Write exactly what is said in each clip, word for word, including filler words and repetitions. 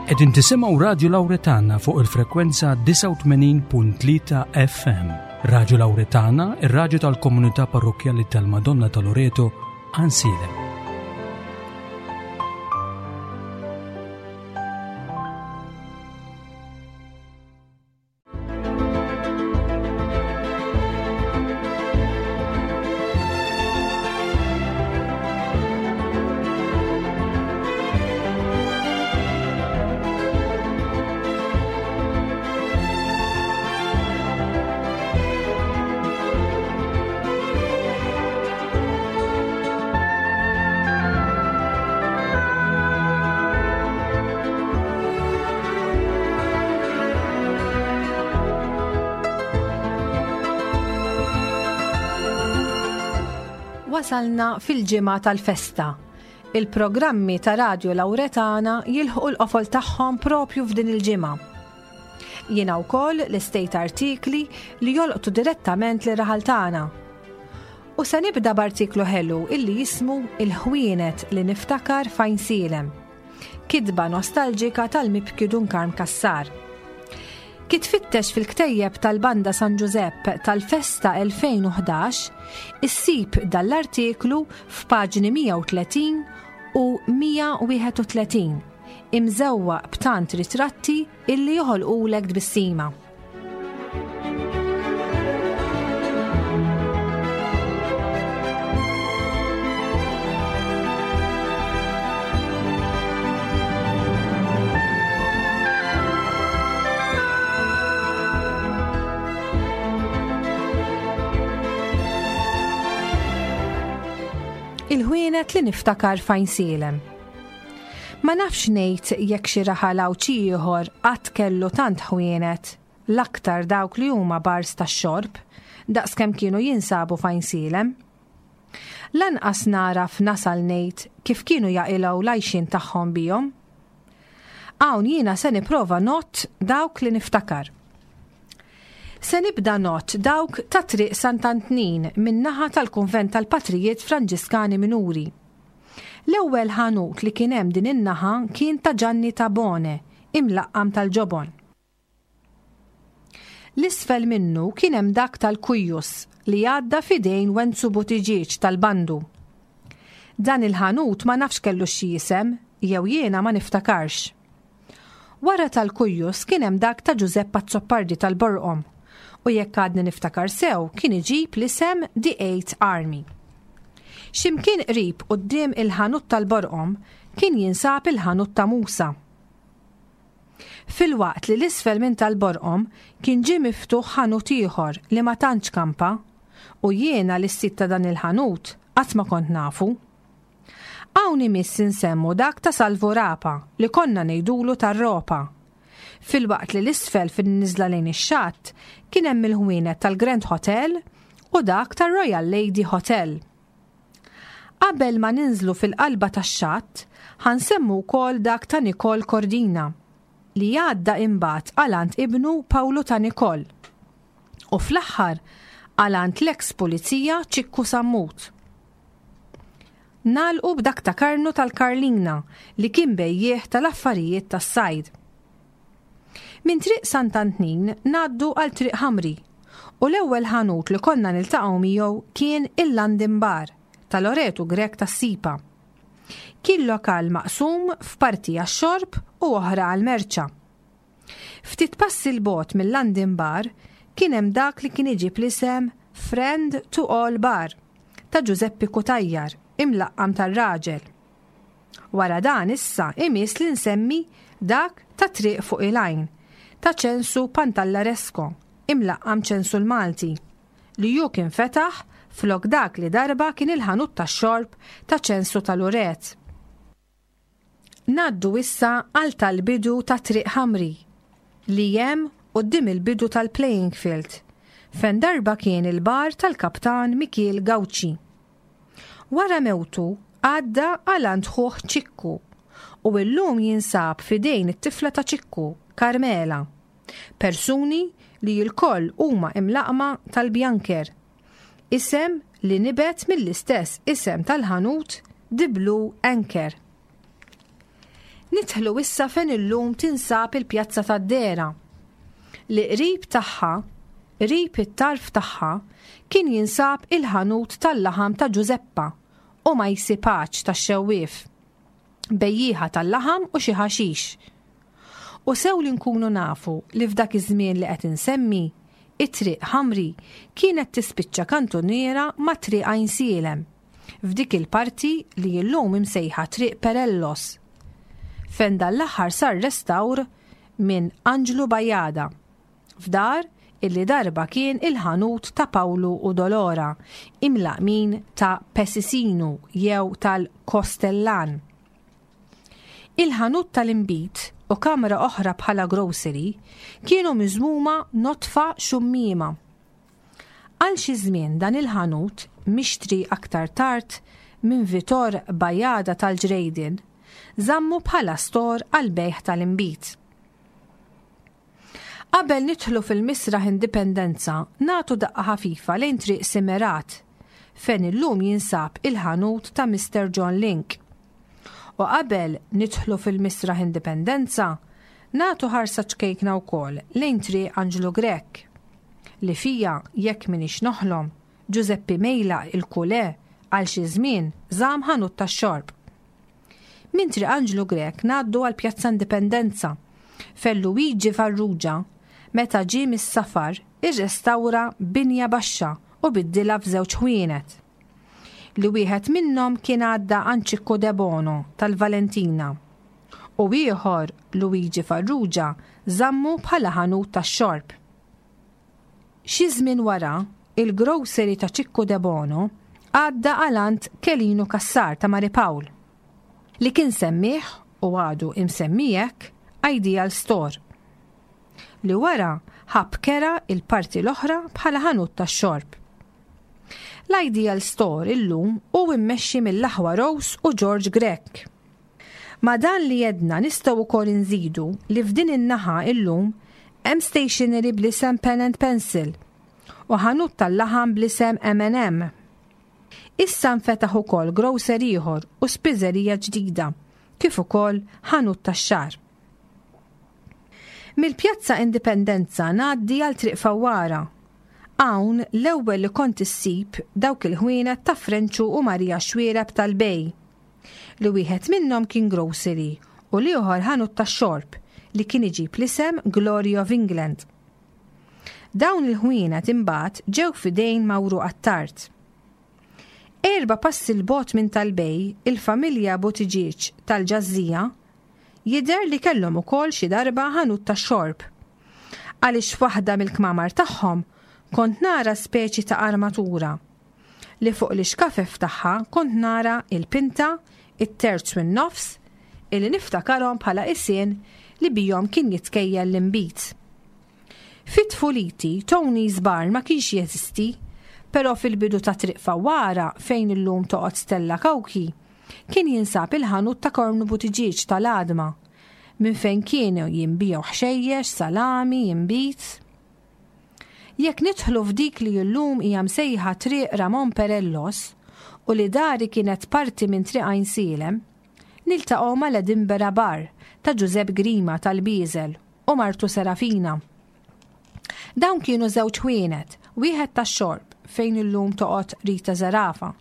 Qegħdin tisimgħu Radju Lawretana fuq il-frekwenza disgħa u tmenin punt tlieta F M. Radju Lawretana, ir-radju tal-Komunità Parrokkjali tal-Madonna ta' Loreto, Għajnsielem. Wasalna fil-ġimgħa tal-festa. Il-programmi ta' Radio Lawretana jilħqu l-qofol tagħhom propju f'din il-ġimgħa. Jiena wkoll lestejt artikli li jolqtu direttament lir-raħal tagħna. U se nibda b'artiklu ħelu illi jismu "Il-ħwienet li niftakar f'Għajnsielem". Kitba nostalġika tal-mibki Dun Karm Kassar. Kif tfittex fil-ktejjeb tal-Banda San Giuseppe tal-Festa elfejn u ħdax, issib dal-artiklu f'paġni mija u tletin u mija u wieħed u tletin, imżewwaq b'tant ritratti illi joħolqulek tbissima. Il-ħwienet li niftakar f'Għajnsielem. Ma nafx ngħid jekk xi raħal Għawdxi ieħor qatt kellu tant ħwienet, l-aktar dawk li huma bars tax-xorb, daqskemm kienu jinsabu f'Għajnsielem. Lanqas naraf nasal ngħid kif kienu jaqilgħu l-għajxien tagħhom bihom. Hawn jiena se nipprova ngħodd dawk li niftakar. Se nibda ngħodd dawk ta' Triq Sant'Antnin min-naħa tal-Kunvent tal-Patrijiet Franġiskani Minuri. L-ewwel ħanut li kien hemm din in-naħa kien ta' Ġanni Tabone, imlaqqam tal-ġobon. L-isfel minnu kien hemm dak tal-Kujjus li għadda f'idejn Wenzu Buttigieg tal-Bandu. Dan il-ħanut ma nafx kellu xi isem jew jiena ma niftakarx. Wara tal-Kujjus kien hemm dak ta' Giuseppe Azzopardi tal-Borqom u jekk għadni niftakar sew kien iġib l-isem The Eight Army. Ximkien qrib quddiem il-ħanut tal-Borqom kien jinsab il-ħanut ta' Musa. Filwaqt li l-isfel minn tal-Borqom kien ġie miftuħ ħanut ieħor li ma tantx kampa u jiena l-sit ta' dan il-ħanut qatt ma kont nafu. Hawn imiss insemmu dak ta' Salvu Rapa li konna ngħidulu tar-ropa. Filwaqt li l-isfel fin-niżla lejn ix-xatt kien hemm il-ħwienet tal-Grand Hotel u dak tar-Royal Lady Hotel. Qabel ma ninżlu fil-qalba tax-xatt, ħa nsemmu wkoll dak ta' Nicole Cordina li għadda imbagħad għal għand ibnu Pawlu ta' Nicole. U fl-aħħar għal għand l-eks pulizija Ċikku Sammut. Nagħlqu b'dak ta' Karnu tal-Karlina li kien bejjiegħ tal-affarijiet tas-sajd. Minn Triq Sant'Antnin ngħaddu għal Triq Ħamri u l-ewwel ħanut li konna niltaqgħu miegħu kien il-London Bar ta' Loretu Grech tas-Sipa. Kien lokal maqsum f'parti għax-xorb u oħra għal-merċa. Ftit passi 'l bogħod mill-London Bar kien hemm dak li kien iġib l-isem Friend to All Bar ta' Giuseppe Kutajjar, imlaqqam tar-raġel. Wara dan issa imiss li nsemmi dak ta' Triq fuq il-Għajn ta' Ċensu Pantallaresco, imlaqqam Ċensu l-Malti, li ju kien fetaħ flok dak li darba kien il-ħanut tax-xorb ta' Ċensu tal-Uret. Ngħaddu issa għal tal-bidu ta' Triq Ħamri li hemm quddiem il-bidu tal-playing field, fejn darba kien il-bar tal-kaptan Mikiel Gawċi. Wara mewtu għadda għal għand ħuh Ċikku u illum jinsab f'idejn it-tifla ta' Ċikku, Carmela. Persuni li lkoll huma imlaqma tal-Bjanker. Isem li nibet mill-istess isem tal-ħanut The Blue Anchor. Nidħlu issa fejn illum tinsab il-Pjazza tad-Dehra, li qrib tagħha, qrib it-tarf tagħha, kien jinsab il-ħanut tal-laħam ta' Ġużeppa u Majsi Paċ tax-xewwief, bejjieħa tal-laħam u xi ħaxix. U sew li nkunu nafu li f'dak iż-żmien li qed insemmi, it-Triq Ħamri kienet tispiċċa kantuniera ma' Triq Għajnsielem, f'dik il-parti li llum imsejħa Triq Perellos, fejn dan l-aħħar sar restawr minn Anġlu Bajada, f'dar illi darba kien il-ħanut ta' Pawlu u Dolora, imlaqmin ta' Pesisinu jew tal-Kostellan. Il-ħanut tal-inbid u kamra oħra bħala grocery kienu miżmuma nodfa xummiema. Għal xi żmien dan il-ħanut, mixtri aktar tard minn Vitor Bajada tal-Ġrejdin, żammu bħala stor għal bejgħ tal-inbid. Qabel nidħlu fil-Misraħ Indipendenza, nagħtu daqqa ħafifa lejn Triq Simerat, fejn illum jinsab il-ħanut ta' Mister John Link. U qabel nidħlu fil-Misraħ Indipendenza, nagħtu ħarsa ċkejkna wkoll lejn Triq Anġlu Grech, li fija, jekk minix noħlom, Giuseppe Mejla il-Kule għal xi żmien żamm ħanut tax-xorb. Minn Triq Anġlu Grech ngħaddu għal Pjazza Indipendenza, fejn Luigi Farrugia, meta ġie mis-safar, irrestawra binja baxxa u biddilha f'żewġ ħwienet, li wieħed minnhom kien għadda għand Ċikku Debono tal-Valentina u ieħor Luigi Farrugia żammu bħala ħanut tax-xorb. Xi żmien wara, il-grocery ta' Ċikku Debono għadda għal għand Kelinu Cassar ta' Mari Pawl, li kien semmih u għadu imsemmijek Ideal Store, li wara ħab kera il-parti l-oħra bħala ħanut tax-xorb. L-Ideal Store illum hu immexxi mill-aħwa Rose u George Grech. Ma dan li jedna nistgħu wkoll inżidu li f'din in-naħa illum hemm stationery bl-isem Pen and Pencil u ħanut tal-laħam bl-isem M and M. Issa nfetaħ ukoll grocery ieħor u spiżerija ġdida, kif ukoll ħanut tax-xagħar. Mill-Pjazza Indipendenza ngħaddi għal Triq Fawwara. Hawn l-ewwel li kont issib dawk il-ħwienet ta' Frenċu u Marija Xwiereb tal-Bej, li wieħed minnhom kien grocery u l-ieħor ħanut tax-xorb li kien iġib l-isem Glory of England. Dawn il-ħwienet imbagħad ġew f'idejn Mawru Attard. Erba' passi l-bogħod minn tal-Bej, il-familja Buttigieg tal-Ġażżija jidher li kellhom ukoll xi darba ħanut tax-xorb, għaliex f'waħda mill-kmamar tagħhom kont nara speċi ta' armatura li fuq l-ixkafef tagħha kont nara il-pinta, it-terz u n-nofs, illi niftakarhom bħala isien li bihom kien jitkejjel l-inbid. Fit-tfuliti, Tony's Bar ma kienx jeżisti, però fil-bidu ta' Triq Fawwara fejn illum toqgħod Stella Kawki, kien jinsab il-ħanut ta' Kornu Buttigieg tal-Għadma, minn fejn kienu jinbiegħu ħxejjex, salami, inbid. Jekk nidħlu f'dik li llum hija msejħa Triq Ramon Perellos u li dari kienet parti minn Triq Għajnsielem, niltaqgħu mal-Edinburgh Bar ta' Giuseppe Grima tal-Bieżel u martu Serafina. Dawn kienu żewġ ħwienet, wieħed tax-xorb fejn illum toqgħod Rita Zerafa.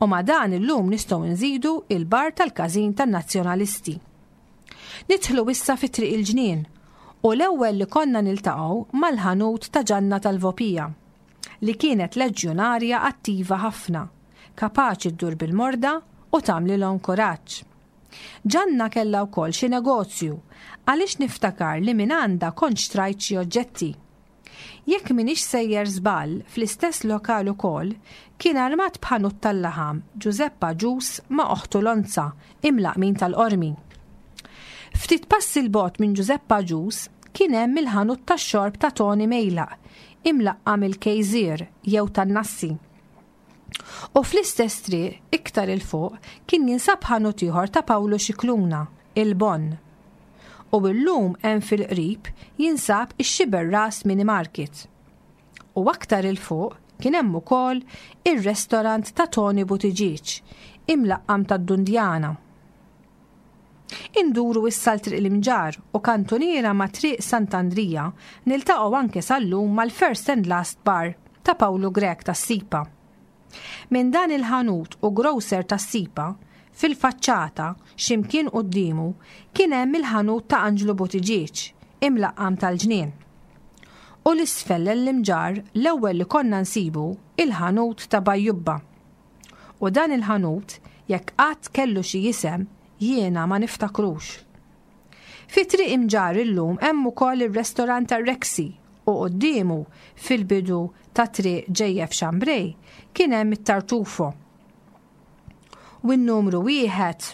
U ma' dan illum nistgħu nżidu il-bar tal-każin tan-Nazzjonalisti. Nidħlu issa fi Triq il-Ġnien u l-ewwel li konna niltaqgħu mal-ħanut ta' Ġanna tal-Vopija, li kienet leġjonarja attiva ħafna, kapaċi ddur bil-morda u tagħmlilhom kuraġġ. Ġanna kellha wkoll xi negozju għaliex niftakar li minn għandha kont xtrajt xi oġġetti. Jekk m'iniex sejjer żball, fl-istess lokal ukoll kien armat b'ħanut tal-laħam Giuseppa Ġus ma' oħtu Lonza imlaqmin tal-Qormi. Ftit passi 'l bogħod minn Giuseppa Ġus kien hemm il-ħanut tax-xorb ta' Tony Mejlaq imlaqqam il-Kejżir jew tan-Nassi. U fl-istess triq iktar il fuq kien jinsab ħanut ieħor ta' Pawlu Xikluna, il-Bon. U illum hemm fil-qrib jinsab ix-Xiberras Mini Market. U aktar il fuq kien hemm ukoll ir-restorant ta' Tony Buttigieg, imlaqqam tad-Dundjana. Induru issa l Triq l-Imġarr u kantuniera ma' Triq Sant'Andrija niltaqgħu anke sal-lum mal-First and Last Bar ta' Pawlu Grech tas-Sipa. Minn dan il-ħanut u grocer tas-Sipa, fil-faċċata, ximkien quddiemu, kien hemm il-ħanut ta' Anġlu Buttigieg, imlaqqam tal-ġnien. U l-isfel l-Imġarr l-ewwel li konna nsibu il-ħanut ta' Bajjubba. U dan il-ħanut, jekk qatt kellu xi isem, jiena ma niftakrux. Fi Triq Imġarr illum hemm ukoll ir-restorant tar-Rexy u quddiemu fil-bidu ta' Triq Ġejjef Xambrej kien hemm it-Tartufo. U n-numru wieħed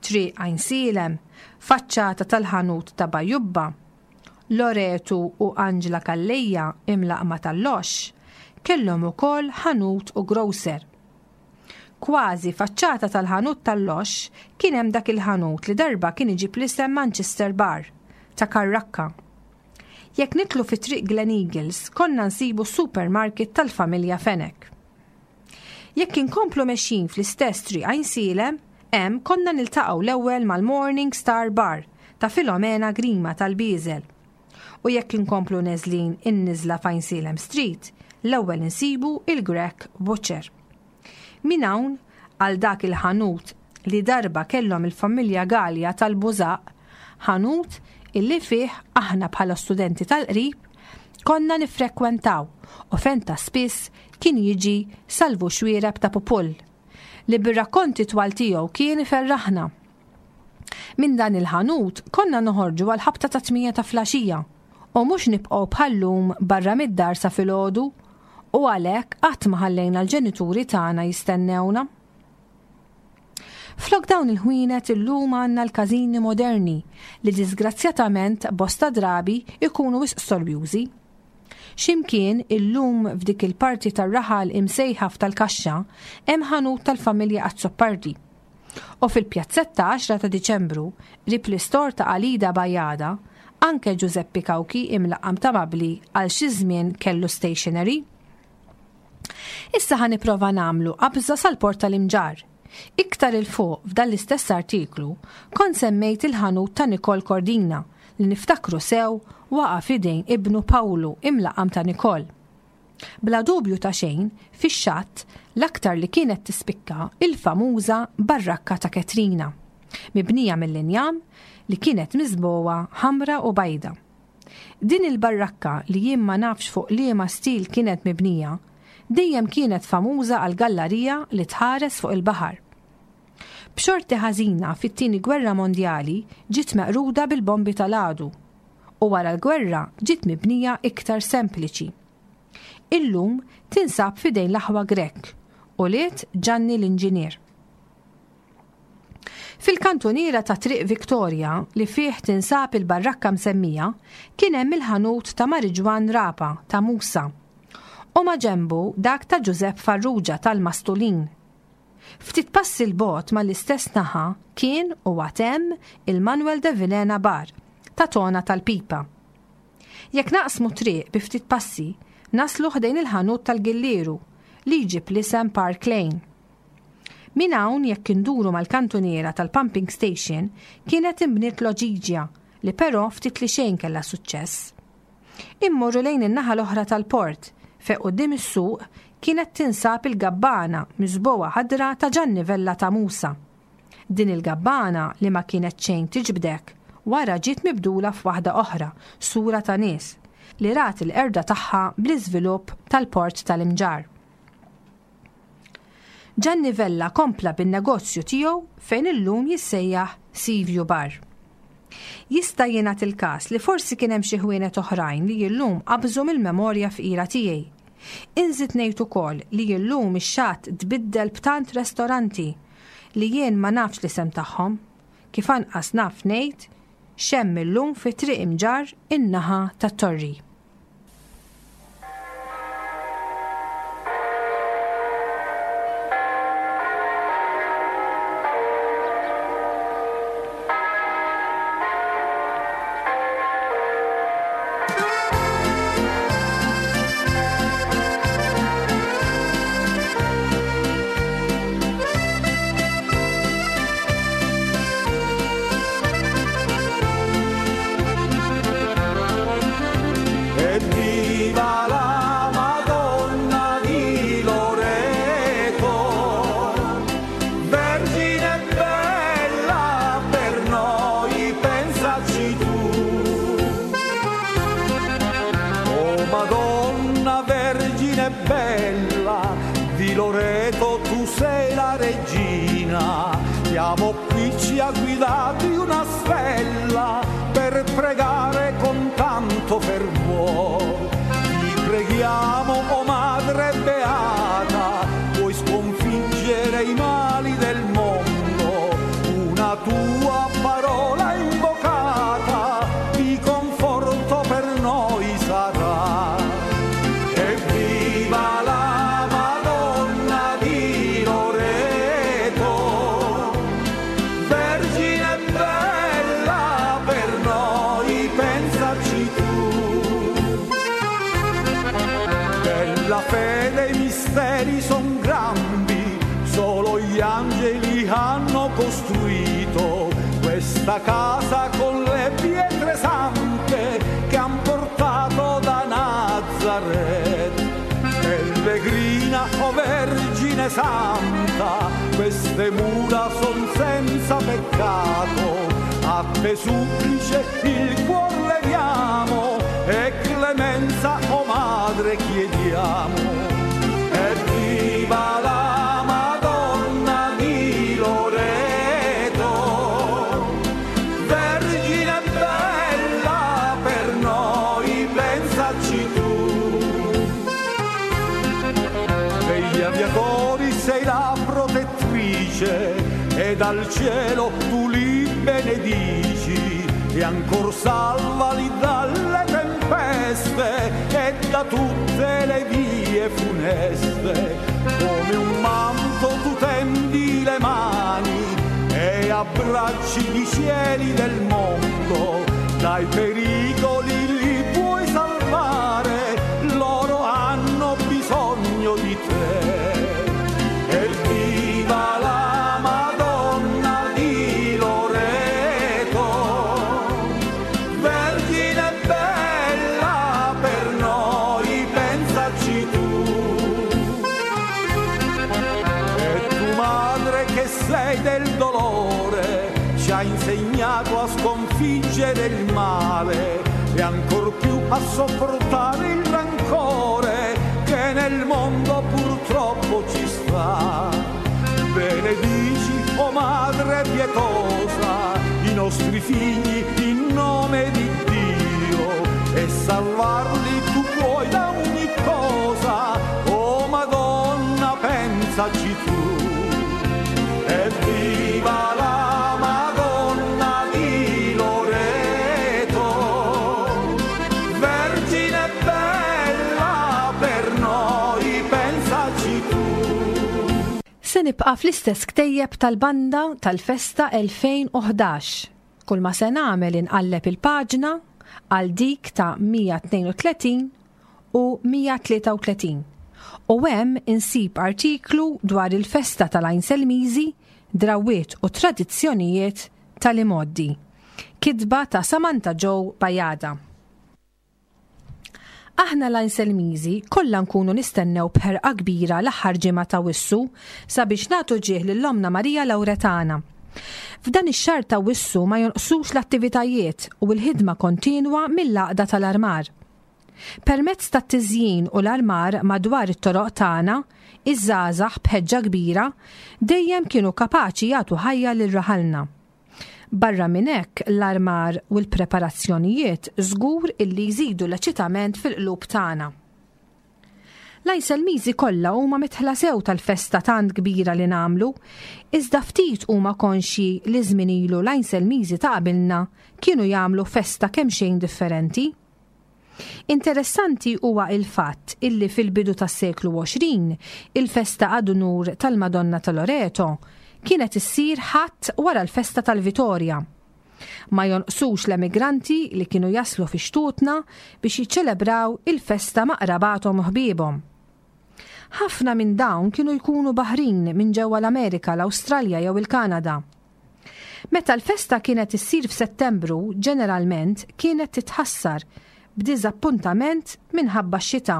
Triq Għajnsielem, faċċata tal-ħanut ta' Bajjubba, Loretu u Anġla Calleja imlaqma tal-Lox kellhom ukoll ħanut u grocer. Kważi faċċata tal-ħanut tal-Lox kien hemm dak il-ħanut li darba kien iġib l-isem Manchester Bar ta' Karrakka. Jekk nitlu fi Triq Glen Eagles konna nsibu supermarket tal-familja Fenech. Jekk inkomplu mexjin fl-istess Triq Għajnsielem, hemm konna niltaqgħu l-ewwel mal-Morning Star Bar ta' Filomena Grima tal-Biżel. U jekk inkomplu neżlin in-niżla f'Għajnsielem Street, l-ewwel insibu il-Grech Butcher. Min hawn għal dak il-ħanut li darba kellhom il-familja Gallia tal-Bużaq, ħanut illi fih aħna bħala studenti tal-qrib konna nifrekwentaw u fejn ta' spiss kien jiġi Salvu Xwiereb ta' Pupull, li bir-rakkonti twal tiegħu kien iferraħna. Minn dan il-ħanut konna noħorġu għal ħabta ta' tmija ta' flaxija u mhux nibqgħu bħallum barra mid-dar sa filgħodu u għalhekk qatt ma ħallejna l-ġenituri tagħna jistennewna. Flok dawn il-ħwienet illum għandna l-każini moderni li disgrazzjatament bosta drabi ikunu wisq storbjużi. Ximkien illum f'dik il-parti tar-raħal imsejħa f'tal-kaxxa hemm ħanut tal-familja Azzopardi. U fil-pjazzetta għaxra ta' Diċembru, qrib l-istor ta' Alida Bajada, anke Giuseppe Cauchi imlaqqam ta' Mabli għal xi żmien kellu stationery. Issa ħa nipprova nagħmlu qabża sal-port tal-Imġarr. Iktar il-fuq f'dan l-istess artiklu kont semmejt il-ħanut ta' Nicole Cordina li niftakru sew waqa' f'idejn ibnu Pawlu imlaqam ta' Nicole. Bla dubju ta' xejn, fix-xatt l-aktar li kienet tispikka il-famuża barrakka ta' Katrina, mibnija mill-injam li kienet miżboha ħamra u bajda. Din il-barrakka li jien ma nafx fuq liema stil kienet mibnija, dejjem kienet famuża għal gallarija li tħares fuq il-baħar. B'xorti ħażina fit-tieni gwerra mondjali ġiet meqruda bil-bombi tal-għadu u wara l-gwerra ġiet mibnija iktar sempliċi. Illum tinsab fidejn l-aħwa Grech u liet Ġanni l-inġinier. Fil-kantuniera ta' Triq Victoria li fih tinsab il-barrakka msemmija kien hemm il-ħanut ta' Mariġwan Rapa ta' Musa u ma' ġembu dak ta' Giuseppe Farrugia tal-Mastulin. Ftit passi l-bot mal-istess naħa kien u għatem il-Manuel de Vilhena Bar ta' Tona tal-Pipa. Jekk naqsmu triq bi ftit passi, naslu ħdejn il-ħanut tal-Gillieru li jġib l-isem Park Lane. Min hawn jekk induru mal-kantuniera tal-pumping station kienet imbniet loġiġja li però ftit li xejn kellha suċċess. Immorru lejn in-naħa l-oħra tal-port fejn quddiem is-suq kienet tinsab il-gabbana miżbogħa ħadra ta' Ġanni Vella ta' Musa. Din il-gabbana li ma kienet xejn tiġbdek wara ġiet mibdula f'waħda oħra, sura ta' nies, li rat il-qerda tagħha bl-iżvilupp tal-port tal-Imġarr. Ġanni Vella kompla bin-negozju tiegħu fejn illum jissejjaħ Seaview Bar. Jista' jingħad il-każ li forsi kien hemm xi ħwienet oħrajn li illum qabżu mill-memorja fqira tiegħi. Inżid ngħid ukoll li illum ix-xatt tbiddel b'tant restoranti li jien ma nafx l-isem tagħhom, kif anqas naf ngħid x'hemm illum fi Triq Imġarr in-naħa tat-Torri. Pellegrina, siamo qui, ci ha guidati una stella per pregare con tanto fervore. Ti preghiamo, o Madre Beata, puoi sconfiggere i mali del mondo, una tua parola invocata di conforto per noi sarà. Evviva la Madonna di Loreto, Vergine bella per noi, pensaci tu. Della fede i misteri son grandi, solo gli angeli hanno costruito questa casa con le pietre sante che han portato da Nazareth. Pellegrina, o Vergine Santa, queste mura son senza peccato, a te supplice il cuor leviamo e clemenza, o Madre, chiediamo. Evviva la Madonna di Loreto, Vergine bella per noi, pensaci tu. Degli aviatori sei la protettrice e dal cielo tu li benedici e ancor salvali dalle tempeste e da tutte le vie funeste. Come un manto tu tendi le mani e abbracci i cieli del mondo, dai pericoli li puoi salvare, loro hanno bisogno di te. Evviva la Madonna di Loreto, Vergine bella per noi, pensaci tu. E tu, Madre, che sei del dolore, ci hai insegnato a sconfiggere il male e ancor più a sopportare il rancore che nel mondo purtroppo ci sta. Benedici, o Madre pietosa, i nostri figli in nome di Dio e salvarli tu puoi da ogni cosa. O Madonna, pensaci tu. Evviva la Madonna di Loreto, Vergine bella per noi, pensaci tu. Se nibqa' fl-istess ktejjeb tal-banda tal-festa elfejn u ħdax. Kull ma se nagħmel inqalleb il-paġna għal dik ta' mija tnejn u tletin u mija tlieta u tletin. U hemm insib artiklu dwar il-festa tal-Għajnselmiżi, drawiet u tradizzjonijiet tal-imgħoddi. Kitba ta' Samantha Joe Bajada. Aħna l-Għajnselmiżi kollha nkunu nistennew b'ħerqa kbira l-aħħar ġimgħa ta' Wissu sabiex nagħtu ġieħ lil Ommna Marija Lawretana. F'dan ix-xahar ta' Wissu ma jonqsux l-attivitajiet u l-ħidma kontinwa mill-għaqda tal-armar. Permezz tat-tiżjin u l-armar madwar it-toroq tagħna, iż-żgħażagħ b'ħeġġa kbira dejjem kienu kapaċi jagħtu ħajja lil raħalna. Barra minn hekk l-armar u l-preparazzjonijiet żgur illi jżidu l-eċitament fil-qlub tagħna. L-Għajnselmiżi kollha huma mitħla sew tal-festa tant kbira li nagħmlu, iżda ftit huma konxji li żmien ilu l-Għajnselmiżi ta' qabilna kienu jagħmlu festa kemm xejn differenti. Interessanti huwa il-fatt illi fil-bidu tas-seklu għoxrin il-festa ad unur tal-Madonna ta' Loreto kienet issir ħadd wara l-festa tal-Vitorja. Ma jonqsux l-emigranti li kienu jaslu fi xtutna biex jiċċelebraw il-festa ma' qrabathom u ħbiebhom. Ħafna minn dawn kienu jkunu baħrin minn ġewwa l-Amerika, l-Awstralja jew il-Kanada. Meta l-festa kienet issir f'Settembru, ġeneralment kienet titħassar b'diżappuntament minħabba x-xita.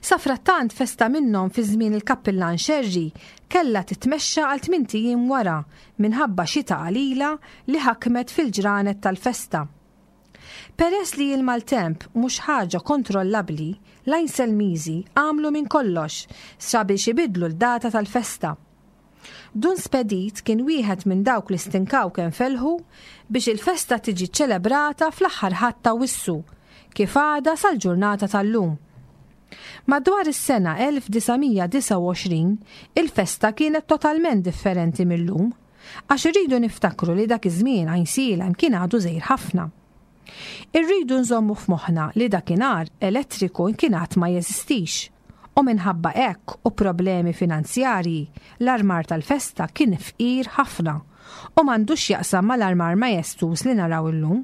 Safrattant festa minnhom fi żmien il-kappillan Xerri kellha titmexxa għal tmint ijiem wara minħabba xita qalila li ħakmet fil-ġranet tal-festa. Peress li l-maltemp mhux ħaġa kontrollabbli, l-Għajnselmiżi għamlu minn kollox sabiex ibidlu l-data tal-festa. Dun Spedit kien wieħed minn dawk li stinkaw kemm felħu biex il-festa tiġi ċelebrata fl-aħħar Ħadd ta' Awwissu, kif għadha sal-ġurnata tal-lum. Madwar is-sena elf disa' mija disgħa u għoxrin, il-festa kienet totalment differenti mil-lum, għax irridu niftakru li dak iż-żmien Għajnsielem kien għadu żgħir ħafna. Irridu nżommu f'moħħna li dakinhar elettriku kien għad ma jeżistix, u minħabba hekk u problemi finanzjarji l-armar tal-festa kien fqir ħafna u m'għandux x'jaqsam mal-armar majestuż li naraw illum.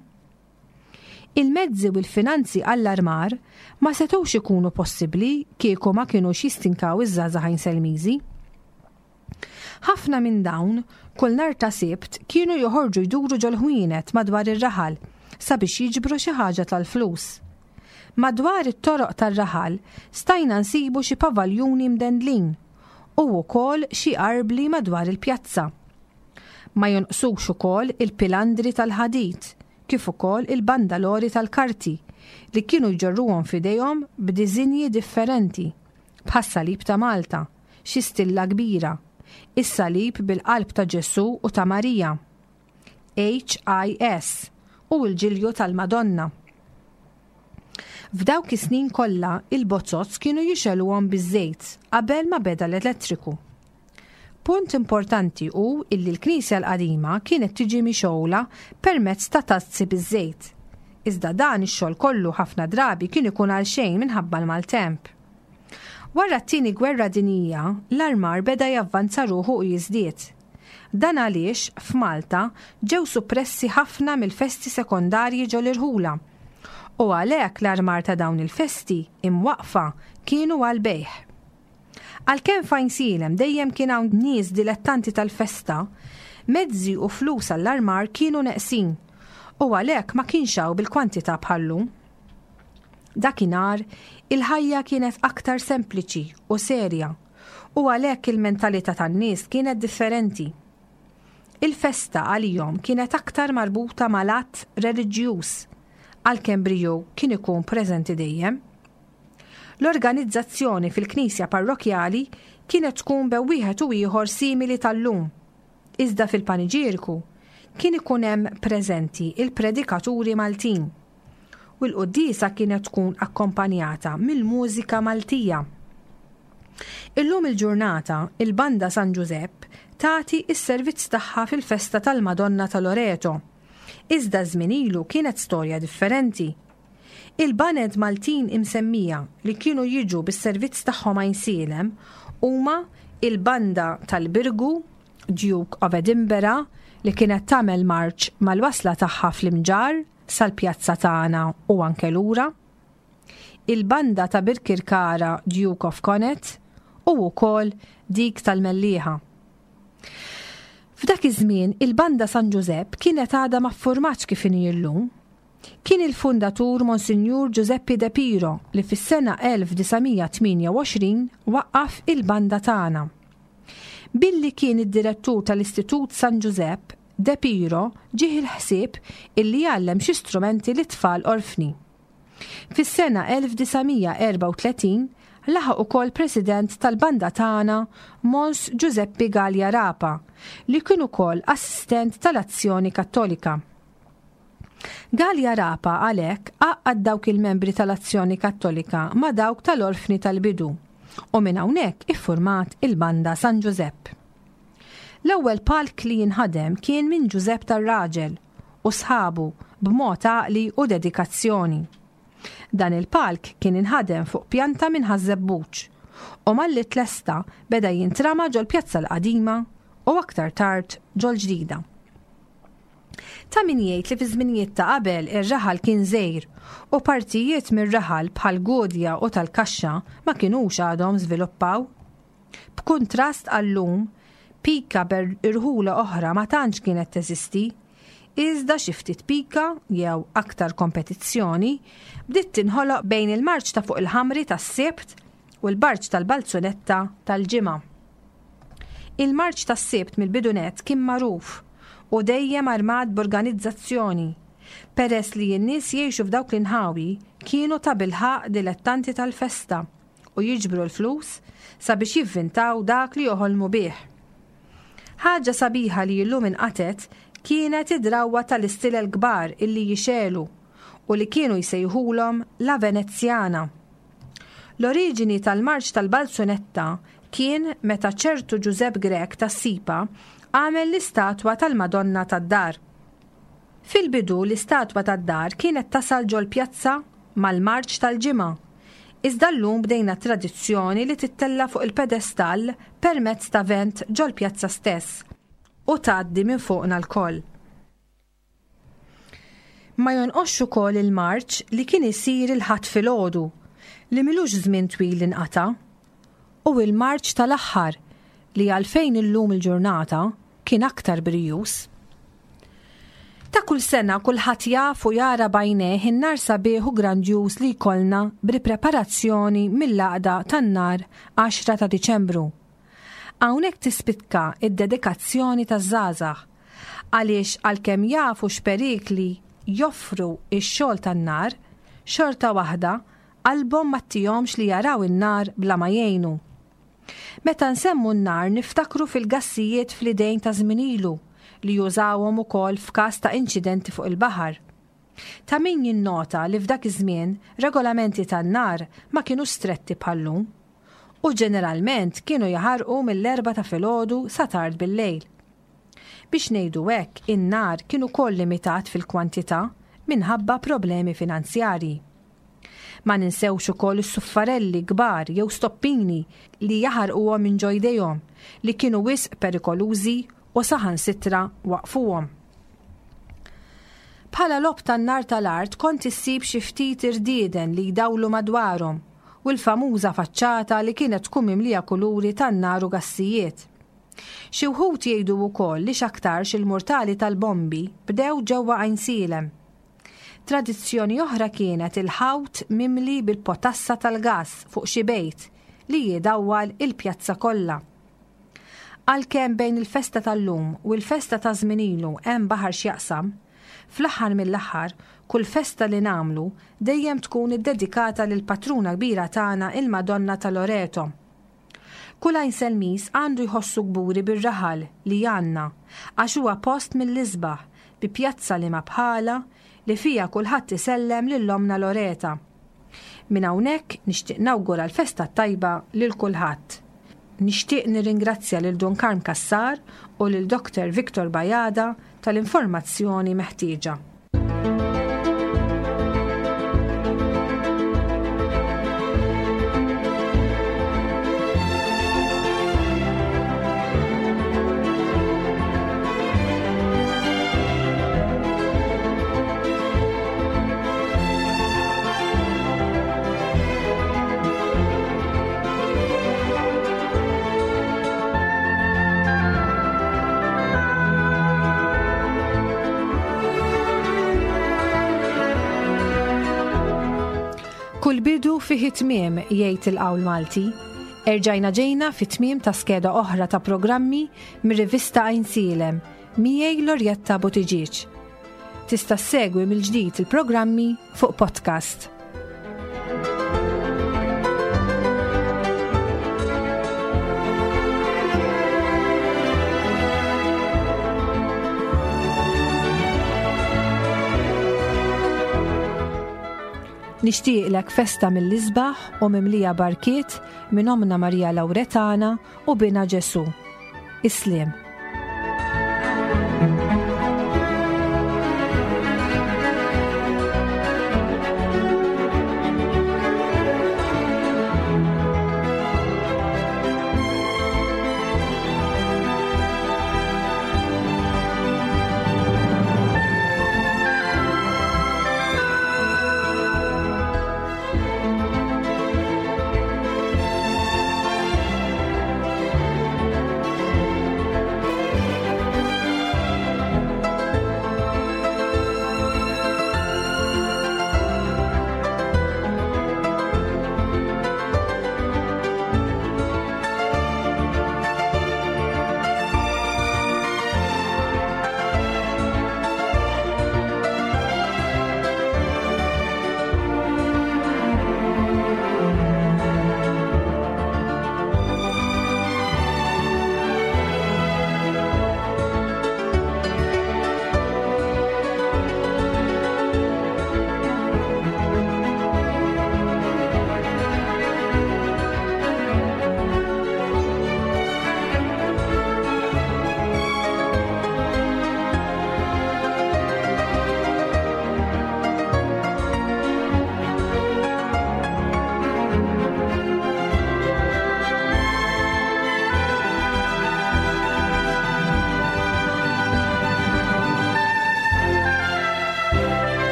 Il-mezzi u l-finanzi għall-armar ma setgħux ikunu possibbli kieku ma kinux jistinkaw iż-żgħażagħ Għajnselmiżi. Ħafna minn dawn, kull nhar ta' Sibt kienu joħorġu jduru ġol-ħwienet madwar ir-raħal sabiex jiġbru xi ħaġa tal-flus. Madwar it-toroq tar-raħal stajna nsibu xi pavaljuni mdendlin u wkoll xi arbli madwar il-pjazza. Ma jonqsux ukoll il-pilandri tal-ħadid kif ukoll il-bandalori tal-karti li kienu jġorruhom f'idejhom b'diżinji differenti bħas-salib ta' Malta, xi stilla kbira, is-salib bil-qalb ta' Ġesù u ta' Marija, H I S u l-ġilju tal-Madonna. F'dawk is-snin kollha il-bozoz kienu jixegħluhom biż-żejt qabel ma beda l-elettriku. Punt importanti hu illi l-knisja l-qadima kienet tiġi mixgħula permezz ta' tazzi biż-żejt. Iżda dan ix-xogħol kollu ħafna drabi kien ikun għal xejn minħabba l-maltemp. Wara t-tieni gwerra dinjija, l-armar beda javvanza ruħu u jiżdied. Dan għaliex f'Malta ġew suppressi ħafna mill-festi sekondarji ġol-irħula. U għalhekk l-armar ta' dawn il-festi imwaqfa kienu għal-bejħ. Għalkemm f'Għajnsielem dejjem kien hawn nies dilettanti tal-festa, mezzi u flus għall-armar kienu neqsin u għalhekk ma kienx hawn bil-kwantità bħallum. Dakinhar il-ħajja kienet aktar sempliċi u serja u għalhekk il-mentalità tan-nies kienet differenti. Il-festa għalihom kienet aktar marbuta mal-att reliġjuż, għalkemm briju kien ikun preżenti dejjem. L-organizzazzjoni fil-knisja parrokjali kienet tkun bew wieħed u ieħor simili tal-lum. Iżda fil-paniġierku kien ikun hemm preżenti il-predikaturi Maltin u l-quddiesa kienet tkun akkompanjata mill-mużika Maltija. Illum il-ġurnata, il-Banda San Ġużepp tagħti s-servizz tagħha fil-festa tal-Madonna ta' Loreto. Iżda żmien ilu kienet storja differenti. Il-baned Maltin imsemmija li kienu jiġu bis-servizz tagħhom Għajnsielem huma il-Banda tal-Birgu, Duke of Edinburgh, li kienet tagħmel marċ mal-wasla tagħha fl-Imġarr sal-pjazza tagħna u anke lura, il-Banda ta' Birkirkara Duke of Connaught u wkoll dik tal-Mellieħa. F'dak iż-żmien il-Banda San Ġużepp kienet għadha ma ffurmatx kif inhi llum. Kien il-fundatur Monsinjur Giuseppe De Piro li fis-sena elf disa' mija tmienja u għoxrin waqqaf il-banda tagħna. Billi kien id-direttur tal-Istitut San Ġużepp, De Piro ġieħ il-ħsieb illi jgħallem xi strumenti lit-tfal orfni. Fis-sena elf disa' mija erba' u tletin laħaq ukoll president tal-banda tagħna Mons Giuseppe Galea Rapa li kien ukoll assistent tal-Azzjoni Kattolika. Galea Rapa għalhekk għaqqad dawk il-membri tal-Azzjoni Kattolika ma' dawk tal-Orfni tal-Bidu u minn hawnhekk iffurmat il-Banda San Ġużepp. L-ewwel palk li jinħadem kien minn Ġużepp tar-Raġel u sħabu b'mod għaqli u dedikazzjoni. Dan il-palk kien inħadem fuq pjanta minn Ħaż-Żebbuġ u malli tlesta beda jintrama ġol-pjazza l-qadima u aktar tard ġol-ġdida. Ta' min jgħid li fi żminijiet ta' qabel ir-raħal kien żgħir u partijiet mir-raħal bħal Gudja u tal-Kaxxa ma kinux għadhom żviluppaw. B'kuntrast għal-lum, pika ber irħula oħra ma tantx kienet teżisti, iżda xi ftit pika jew aktar kompetizzjoni bdiet tinħoloq bejn il-marċ ta' fuq il-ħamri tas-Sibt u l-barċ tal-Balzunetta tal-Ġimgħa. Il-marċ tas-Sibt mill-bidunet kien magħruf u dejjem armat b'organizzazzjoni, peress li n-nies jgħixu f'dawk l-inħawi kienu ta' bilħaq dilettanti tal-festa u jiġbru l-flus sabiex jivvintaw dak li joħolmu bih. Ħaġa sabiħa li llum inqatgħet kienet id-drawwa tal-istilel kbar illi jixegħlu u li kienu jsejħulhom la Venezjana. L-oriġini tal-marċ tal-Balzunetta kien meta ċertu Ġużepp Grech tas-Sipa għamel l-istatwa tal-Madonna tad-Dar. Fil-bidu l-istatwa tad-dar kienet tasal ġol-pjazza mal-marċ tal-Ġimgħa. Iżda llum bdejna tradizzjoni li tittella' fuq il-pedestall permezz ta' vent ġol-pjazza stess u tgħaddi minn fuqna lkoll. Ma jonqosx ukoll il-marċ li kien isir il-Ħadd filgħodu li m'ilux żmien twil inqata', u il-marċ tal-aħħar li għalfejn illum il-ġurnata kien aktar brijuż. Ta' kull sena kulħadd jaf u jara b'għajnejh in-nar sabiħ u grandjuż li jkollna b'ripreparazzjoni mill-għaqda tan-nar għaxra ta' Diċembru. Hawnhekk tispikka id-dedikazzjoni taż-żgħażagħ għaliex għalkemm jafu x'perikli joffru x-xogħol tan-nar, xorta waħda qalbhom ma ttihomx li jaraw in-nar bla ma jgħinu. Meta nsemmu n-nar niftakru fil-gassijiet fl-idejn ta' żmien ilu li jużawhom ukoll f'każ ta' inċidenti fuq il-baħar. Ta' min jinnota li f'dak iż-żmien regolamenti tan-nar ma kienu stretti bħal-lum u ġeneralment kienu jaħarqu mill-erbgħa ta' filgħodu sa tard bil-lejl. Biex ngħidu hekk, in-nar kien ukoll limitat fil-kwantità minħabba problemi finanzjarji. Ma ninsewx ukoll is-suffarelli kbar jew stoppini li jaħarquhom minn ġo jdejhom li kienu wisq perikolużi u saħansitra waqfuhom. Bħala logħob tan-nar tal-art kont issib xi ftit irdieden li jdawlu madwarhom u l-famuża faċċata li kienet tkun mimlija kuluri tan-nar u gassijiet. Xi wħud jgħidu wkoll li x'aktarx il-murtali tal-bombi bdew ġewwa Għajnsielem. Tradizzjoni oħra kienet il-ħawt mimli bil-potassa tal-gass fuq xi bejt li jidawwal il-pjazza kollha. Għalkemm bejn il-festa tal-lum u l-festa ta' żmien ilu hemm baħar x'jaqsam, fl-aħħar mill-aħħar kull festa li nagħmlu dejjem tkun iddedikata lil patruna kbira tagħna il-Madonna ta' Loreto. Kull Għajnselmis għandu jħossu kburi bir-raħal li għandna għax huwa post mill-isbaħ bi pjazza li ma bħala li fija kulħadd isellem lil Omna Loreta. Minn hawnhekk nixtieq nawgura l-festa tajba lil kulħadd. Nixtieq nirringrazzja lil Dun Karm Cassar u lil Doktor Victor Bajada tal-informazzjoni meħtieġa. Kull bidu fih tmiem, jgħid il-qawl Malti. Erġajna ġejna fi tmiem ta' skeda oħra ta' programmi mir-rivista Għajnsielem, miegħi Lorjetta Buttigieg. Tista' ssegwi mill-ġdid il-programmi fuq podcast. Nixtieqlek festa mill-isbaħ u mimlija barkiet minn Omna Marija Lawretana u bina Ġesu. Isliem.